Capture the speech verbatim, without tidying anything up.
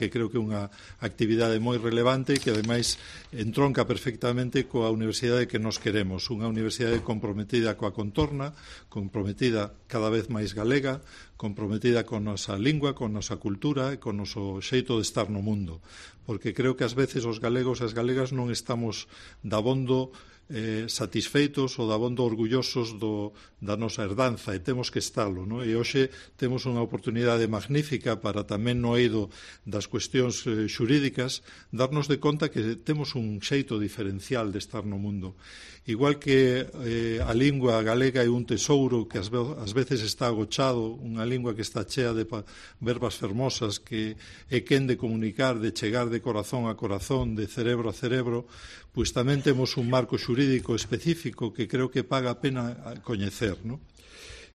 que creo que é unha actividade moi relevante e que, ademais, entronca perfectamente coa universidade que nos queremos. Unha universidade comprometida coa contorna, comprometida cada vez máis galega, comprometida con nosa lingua, con nosa cultura e con noso xeito de estar no mundo. Porque creo que, ás veces, os galegos e as galegas non estamos dabondo eh, satisfeitos ou dabondo orgullosos do, da nosa herdanza, e temos que estalo, non? E hoxe temos unha oportunidade magnífica para tamén no eido das cuestións eh, xurídicas darnos de conta que temos un xeito diferencial de estar no mundo. Igual que eh, a lingua galega é un tesouro que ás, ve ás veces está agochado, unha lingua que está chea de verbas fermosas, que é quen de comunicar, de chegar de corazón a corazón, de cerebro a cerebro, pois tamén temos un marco xurídico específico que creo que paga a pena coñecer, non?